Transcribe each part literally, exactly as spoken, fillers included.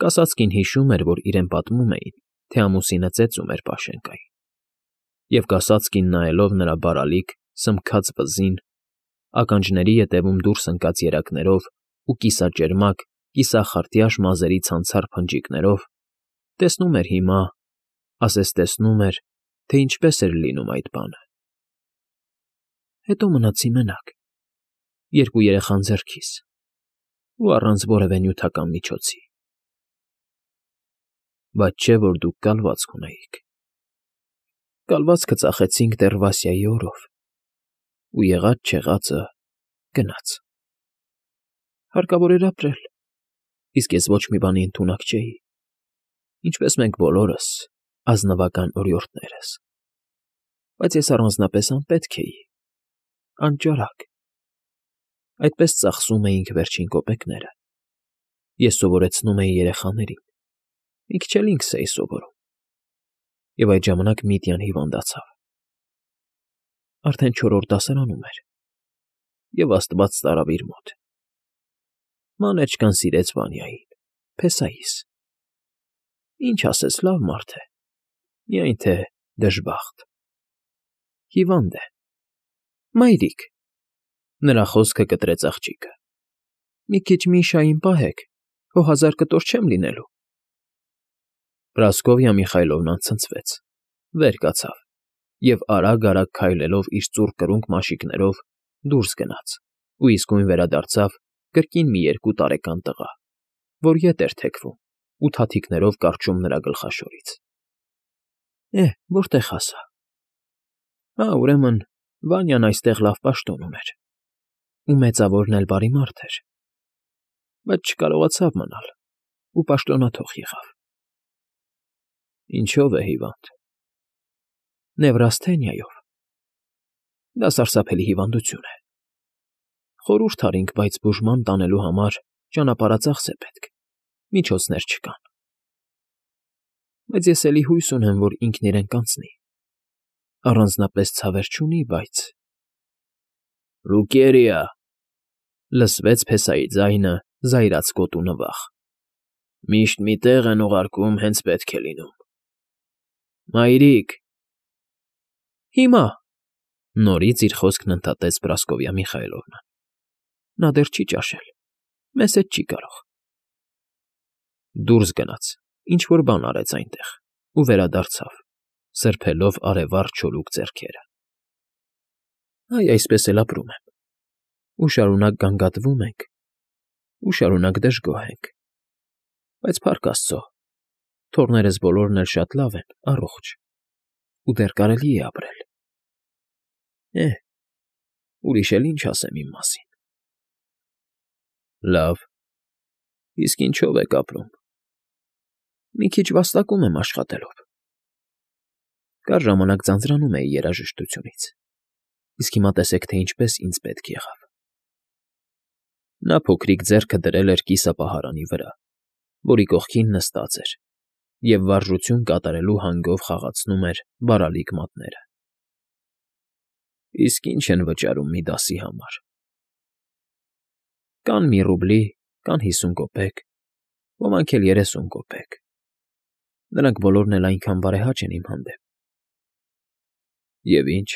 Կասածկին հիշում էր, որ իրեն պատմում էին, թե ամուսինը ծեծում էր Պաշենկային, և կասածկին, նայելով նրա բարալիկ, սմքած վզին, ականջների ետևում դուրս ընկած երակներով ու կիսաճերմակ, կիսախրտյաշ մազերի ցանցառ փնջիկներով, տեսնում էր հիմա, ասես տեսնում էր, թե ինչպես էր լինում այդ բանը։ Հետո մնացի մենակ, երկու երեխան ձեռքիս ու առանց որևէ նյութական միջոցի։ Բայց չէ՞ որ դուք կալվածք ունեիք։ Կալվածքը ծախեցինք դեռ Վասյայի օրով, ու եղած֊չեղածը գնաց։ Հարկավոր էր ապրել, իսկ ես ոչ մի բանի ընդունակ չէի, ինչպես մենք բոլորս, ազնվական օրիորդներս, բայց ես առանձնապես անպետք էի, անճարակ։ Այդպես ծախսում էինք վերջին կոպեկները, ես սովորեցնում էի երեխաներին, մի քիչ էլ ինքս էի սովորում, և այդ ժամանակ Միտյան հիվանդացավ։ Արդեն չորրորդ դասարանում էր, և աստված տարավ իր մոտ։ Մանեչկան սիրեց Վանյային, փեսայիս։ Ինչ ասես, լավ մարդ է, միայն թե դժբախտ։ Հիվանդ է։ Մայրիկ, նրա խոսքը կտրեց աղջիկը, մի քիչ Միշային պահեք, հո հազար կտոր չեմ լինելու։ Պրասկովյա Միխայլովնան ցնցվեց, վեր կացավ և արագ֊արագ քայլելով իր ծուռ կրունկ մաշիկներով դուրս գնաց ու իսկույն վերադարձավ կրկին մի երկու տարեկան տղա, որ ետ էր թեքվում ու թաթիկներով կառչում նրա գլխաշորից։ Է՜, որտե՞ղ հասա։ Հա, ուրեմն, Վանյան այստեղ լավ պաշտոն ուներ, ու մեծավորն էլ բարի մարդ էր, բայց չկարողացավ մնալ ու պաշտոնաթող եղավ։ Ինչո՞վ է հիվանդ։ Նևրասթենիայով։ Դա սարսափելի հիվանդություն է։ Խորհուրդ արինք, բայց բուժման տանելու համար ճանապարհածախս է պետք, միջոցներ չկան։ Բայց ես էլի հույս ունեմ, որ ինքն իրեն կանցնի, առանձնապես ցավեր չունի, բայց… Լուկերիա…֊ լսվեց փեսայի ձայնը զայրացկոտ ու նվախ։ Միշտ մի տեղ են ուղարկում, հենց պետք է լինում։ Մայրիկ… Հիմա… նորից իր խոսքն ընդհատեց Պրասկովյա Միխայլովնան։ Նա դեռ չի ճաշել, մեզ հետ չի կարող։ Դուրս գնաց, ինչ֊որ բան արեց այնտեղ ու վերադարձավ, սրբելով արևառ չորուկ ձեռքերը։ Այ այսպես էլ ապրում եմ, ու շարունակ գանգատվում ենք, ու շարունակ դժգոհ ենք, բայց, փառք աստծո, թոռներս բոլորն էլ շատ լավ են, առողջ, ու դեռ կարելի է ապրել։ Է՜, ուրիշ էլ ինչ ասեմ իմ մասին։ Լավ, իսկ ինչո՞վ եք ապրում։ Մի քիչ վաստակում եմ աշխատելով։ Կար ժամանակ ձանձրանում էի երաժշտությունից, իսկ հիմա տեսեք, թե ինչպես ինձ պետք եղավ։ Նա փոքրիկ ձեռքը դրել էր կիսապահարանի վրա, որի կողքին նստած էր, և վարժություն կատարելու հանգով խաղացնում էր բարալիկ մատները։ Իսկ ի՞նչ են վճարում մի դասի համար։ Կան մի ռուբլի, կան հիսուն կոպեկ, ոմանք էլ երեսուն կոպեկ։ Նրանք բոլորն էլ այնքան բարեհաճ են իմ հանդեպ։ Եվ ի՞նչ,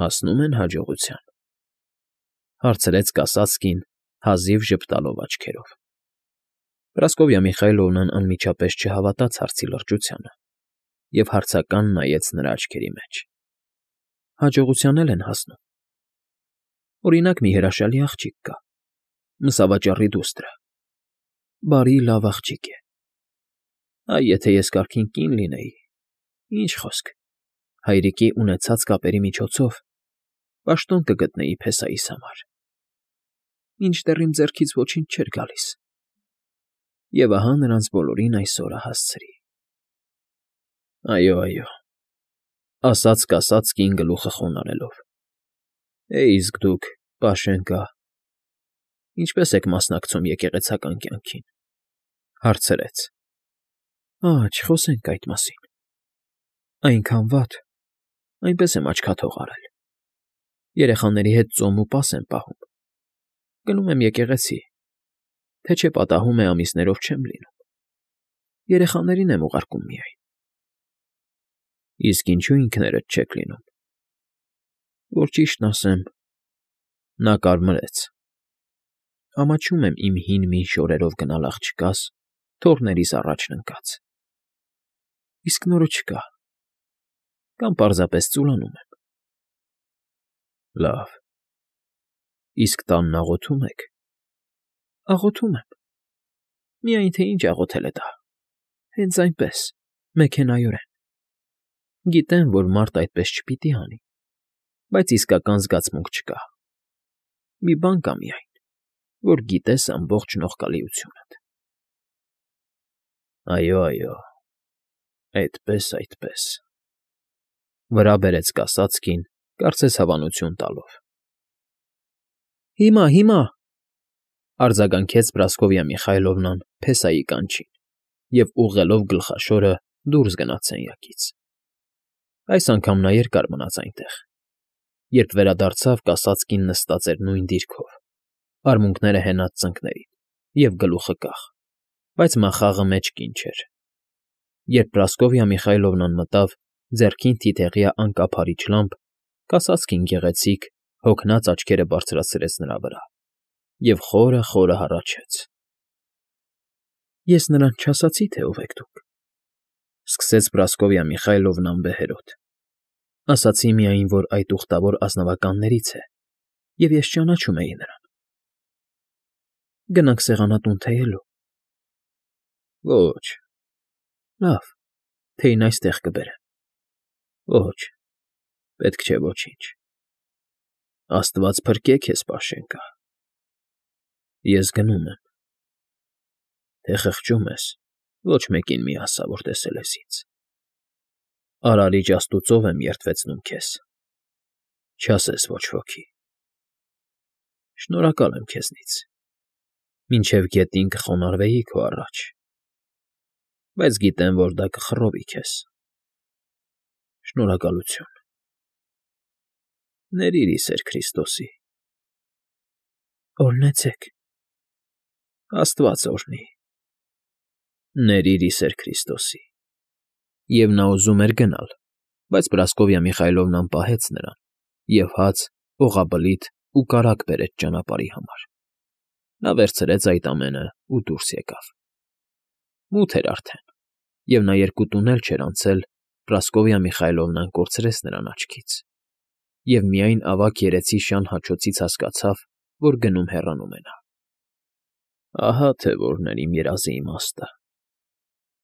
հասնո՞ւմ են հաջողության,֊ հարցրեց կասածկին, հազիվ ժպտալով աչքերով։ Պրասկովյա Միխայլովնան անմիջապես չհավատաց հարցի լրջությանը և հարցական նայեց նրա աչքերի մեջ։ Հաջողության էլ են հասնում։ Օրինակ, մի հրաշալի աղջիկ կա, մսավաճառի դուստր, բարի, լավ աղջիկ է։ Այ եթե ես կարգին կին լինեի, ինչ խոսք, հայրիկի ունեցած կապերի միջոցով պաշտոն կգտնեի փեսայիս համար։ Մինչդեռ իմ ձեռքից ոչինչ չէր գալիս, և ահա նրանց բոլորին այսօրը հասցրի։ Այո, այո…֊ ասաց կասածկին գլուխը խոնարհելով։ Է, իսկ դուք, Պաշենկա, ինչպե՞ս եք մասնակցում եկեղեցական կյանքին,֊ հարցրեց։ Ա՜, չխոսենք այդ մասին։ Այնքան վատ, այնպես եմ աչքաթող արել։ Երեխաների հետ ծոմ ու պաս եմ պահում։ Գնում եմ եկեղեցի, թե չէ պատահում է ամիսներով չեմ լինում, երեխաներին եմ ուղարկում միայն։ Իսկ ինչու ինքներդ չեք լինում։ Որ ճիշտն ասեմ, նա կարմրեց։ Ամաչում եմ իմ հին-մին շորերով գնալ աղջկաս, թոռներիս առաջն ընկած։ Իսկ նորը չկա, կամ պարզապես ծուլանում եմ։ Լավ, իսկ տանն աղոթում եք։ Աղոթում եմ, միայն թե ինչ աղոթել է դա, հենց այնպես, մեքենայորեն։ Գիտեմ, որ մարդ այդպես չպիտի անի, բայց իսկական զգացմունք չկա։ Մի բան կա միայն, որ գիտես ամբողջ նողկալիությունդ։ Այո, այո, այդպես, այդպես, վրա բերեց կասածքին, կարծես հավանություն տալով։ Հիմա, հիմա, արձագանքեց Պրասկովյա Միխայլովնան փեսայի կանչին և ուղղելով գլխաշորը դուրս գնաց սենյակից։ Այս անգամ նա երկար մնաց այնտեղ։ Երբ վերադարձավ, կասածքին նստած էր նույն դիրքով, արմունկները հենած ծնկներին և գլուխը կախ, բայց մախաղը մեջքին չէր։ Երբ Պրասկովյա Միխայլովնան մտավ, ձեռքին թիթեղյա անկափարիչ լամբ, կասածքին գեղեցիկ, հոգնած աչքերը բարձրացրեց նրա վրա և խորը֊խորը հառաչեց։ Ես նրան չասացի, թե ով եք դուք, սկսեց Պրասկովյա Միխայլովնան բեհերոտ։ Ասացի միայն, որ այդ ուխտավոր ազնվականներից է, և ես ճանաչում էի նրան։ Գնանք սեղանատուն թեյելու։ Ոչ։ Լավ, թեյն այստեղ կբերեմ։ Ոչ, պետք չէ ոչինչ։ Աստված փրկե քեզ, Պաշենկա։ Ես գնում եմ։ Թե խղճում ես, ոչ մեկին մի ասա, որ տեսել ես ինձ։ Արարիչ աստուծով եմ երդվեցնում քեզ։ Չասես ոչ ոքի։ Շնորհակալ եմ քեզնից։ Մինչև գետին կխոնարհվեի քո առաջ, բայց գիտեմ, որ դա կխռովի քեզ։ Շնորհակալություն։ Ներիր ի սեր Քրիստոսի։ Օրհնեցեք։ Աստված օրհնի։ Ներիր ի սեր Քրիստոսի։ Եվ նա ուզում էր գնալ, բայց Պրասկովյա Միխայլովնան պահեց նրան և հաց, օղաբլիթ ու կարագ բերեց ճանապարհի համար։ Նա վերցրեց այդ ամենը ու դուրս եկավ։ Մութ էր արդեն, և նա երկու տուն էլ չէր անցել, Պրասկովյա Միխայլովնան կորցրեց նրան աչքից, և միայն ավագ երեցի շան հաչոցից հասկացավ, որ գնում֊հեռանում է նա։ Ահա թե որն էր իմ երազի իմաստը։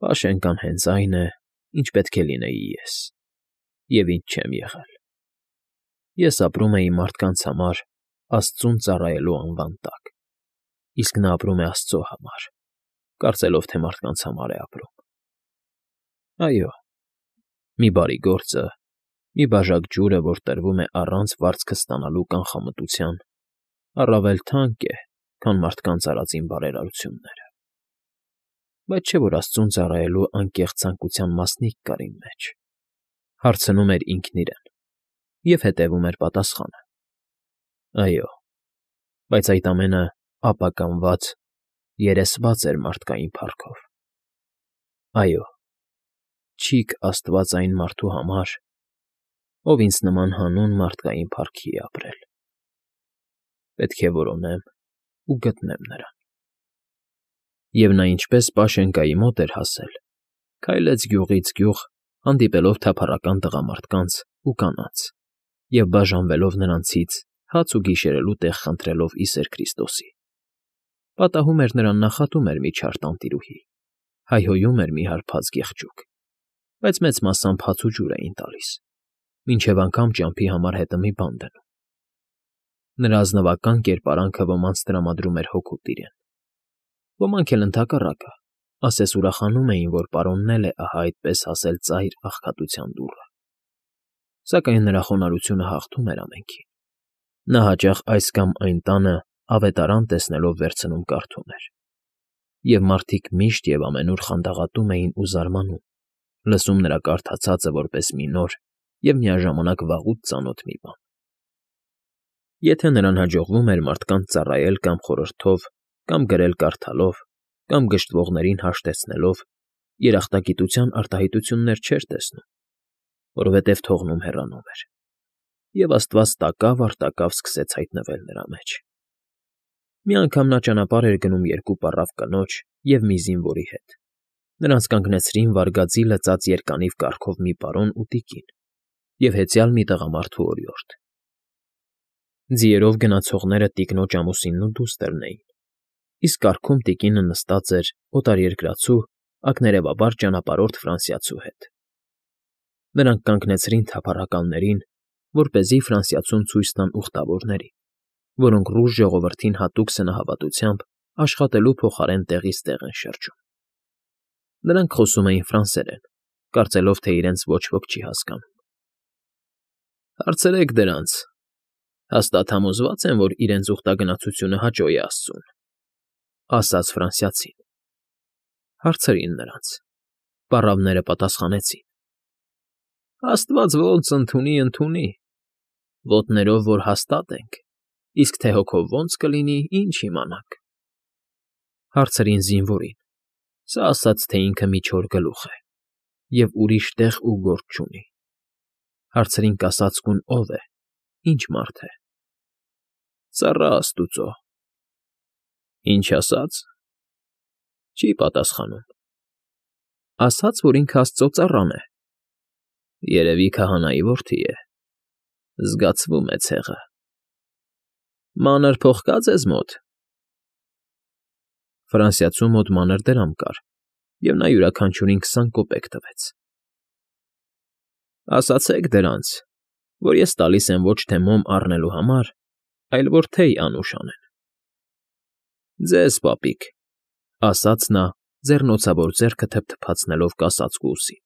Պաշենկան հենց այն է, ինչ պետք է լինեի ես, և ինչ չեմ եղել։ Ես ապրում էի մարդկանց համար Աստծուն ծառայելու անվան տակ, իսկ նա ապրում է աստծո համար, կարծելով, թե մարդկանց համար է ապրում։ Այո, մի բարի գործը, մի բաժակ ջուրը, որ տրվում է առանց վարձքը ստանալու կանխամտության, առավել թանկ է, քան մարդկանց արածին բարերարությունները։ Բայց չէ՞ որ Աստծուն ծառայելու անկեղծ ցանկության մասնիկ կար իմ մեջ, հարցնում էր ինքն իրեն և հետևում էր պատասխանը։ Այո, բայց այդ ամենը ապականված, երեսված էր մարդկային փառքով։ Այո, չիք Աստված այն մարդու համար, ով ինձ նման հանուն մարդկային փառքի է ապրել։ Պետք է որոնեմ ու գտնեմ նրան։ Եվ նա ինչպես Պաշենկայի մոտ էր հասել, քայլեց գյուղից գյուղ, հանդիպելով թափառական տղամարդկանց ու կանանց, և բաժանվելով նրանցից, հաց ու գիշերելու տեղ խնդրելով ի սեր Քրիստոսի։ Պատահում էր նրան նախատում էր մի չար տանտիրուհի, հայհոյում էր մի հարբած գեղջուկ, բայց մեծ մասամբ հաց ու ջուր էին տալիս, մինչև անգամ ճամփի համար հետը մի բան դնում։ Նրա ազնվական կերպարանքը ոմանց տրամադրում էր հոգուտ իրեն։ Ոմանք էլ ընդհակառակը, ասես ուրախանում էին, որ պարոնն էլ է ահա այդպես հասել ծայր աղքատության դուռը։ Սակայն նրա խոնարհությունը հաղթում էր ամենքին։ Նա հաճախ այս կամ այն տանը ավետարան տեսնելով վերցնում կարդում էր։ Եվ մարդիկ միշտ և ամենուր խանդաղատում էին ու զարմանում, լսում նրա կարդացածը որպես մի նոր և միաժամանակ վաղուց ծանոթ մի բան։ Եթե նրան հաջողվում էր մարդկանց ծառայել կամ խորհրդով կամ գրել֊կարդալով, կամ գժտվողներին հաշտեցնելով երախտագիտության արտահայտություններ չէր տեսնում, որովհետև թողնում հեռանում էր, և աստված տակավ֊առ֊տակավ սկսեց հայտնվել նրա մեջ։ Մի անգամ նա ճանապարհ էր գնում երկու պառավ կնոջ և մի զինվորի հետ. նրանց կանգնեցրին վարգածի լծած երկանիվ կառքով մի պարոն ու տիկին և հեծյալ մի տղամարդու օրիորդ։ Ձիերով գնացողները տիկնոջ ամուսինն ու դուստրն էին, իսկ կառքում տիկինը նստած էր օտարերկրացու, ակներևաբար ճանապարհորդ ֆրանսիացու հետ։ Նրանք կանգնեցրին թափառականներին, որպեսզի ֆրանսիացուն ցույց տան ուխտավորներին, որոնք ռուս ժողովրդին հատուկ սնահավատությամբ աշխատելու փոխարեն տեղից տեղ են շրջում։ Նրանք խոսում էին ֆրանսերեն, կարծելով, թե իրենց ոչ ոք չի հասկանում։ Հարցրեք դրանց, հաստատ համոզված են, որ իրենց ուխտագնացությունը հաճո է աստծուն, ֊ ասաց ֆրանսիացին։ Հարցրին նրանց. պառավները պատասխանեցին. Աստված ոնց ընդունի, ընդունի, ոտներով որ հաստատ ենք, իսկ թե հոգով ոնց կլինի, ինչ իմանանք։ Հարցրին զինվորին. սա ասաց, թե ինքը մի չոր գլուխ է և ուրիշ տեղ ու գործ չունի։ Հարցրին կասածկուն ով է, ինչ մարդ է։ Ծառա աստուծո։ Ինչ ասաց։ Չի պատասխանում։ Ասաց, որ ինքը աստծո ծառան է։ Երևի քահանայի որդի է։ Զգացվում է ցեղը։ Մանր փող կա՞ ձեզ մոտ։ Ֆրանսիացու մոտ մանր դրամ կար, և նա յուրաքանչյուրին քսան կոպեկ տվեց։ Ասացեք դրանց, որ ես տալիս եմ ոչ թե մոմ առնելու համար, այլ որ թեյ անուշ անեն։ Ձեզ, պապիկ, ֊ ասաց նա, ձեռնոցավոր ձեռքը թփթփացնելով կասածկու ուսին։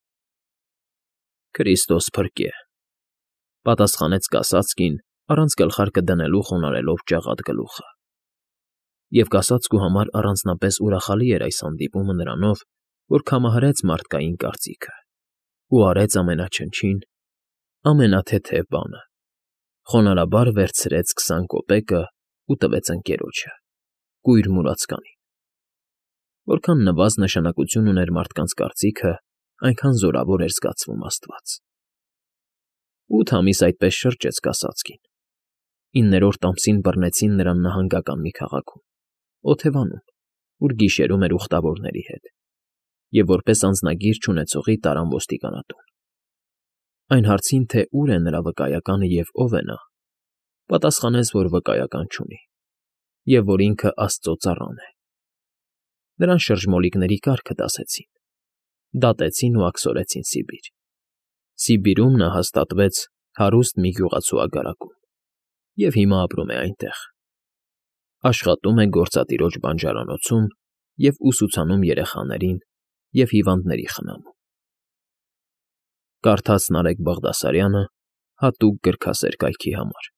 Քրիստոս փրկե, ֊ պատասխանեց կասածկին, առանց գլխարկը դնելու խոնարհելով ջաղად գլուխը։ Եվ կասածկու համար առանձնապես ուրախալի էր այս հանդիպումը նրանով, որ կամահարեց մարդկային կարծիքը ու արեց ամենաչնչին, ամենաթեթև բանը, խոնարհաբար վերցրեց քսան կոպեկն ու տվեց ընկերոջը, կույր մուրացկանին։ Որքան նվազ նշանակություն ուներ մարդկանց կարծիքը, այնքան զորավոր էր զգացվում աստված։ Ութ ամիս այդպես շրջեց կասածկին։ Իններորդ ամսին բռնեցին նրան նահանգական մի քաղաքում, Օթևանում, ուր գիշերում էր ուխտավորների հետ, և որպես անձնագիր չունեցողի տարան ոստիկանատուն։ Այն հարցին, թե ուր է նրա վկայականը և ով է նա, պատասխանեց, որ վկայական չունի, և որ ինքը աստծո ծառան է։ Նրան շրջմոլիկների կարգը դասեցին, դատեցին ու աքսորեցին Սիբիր։ Սիբիրում նա հաստատվեց հարուստ մի գյուղացու ագարակում և հիմա ապրում է այնտեղ։ Աշխատում է գործատիրոջ բանջարանոցում և ուսուցանում երեխաներին և հիվանդների խնամում։ Կարդաց Նարեկ Բաղդասարյանը հատուկ գրքասեր կայքի համար։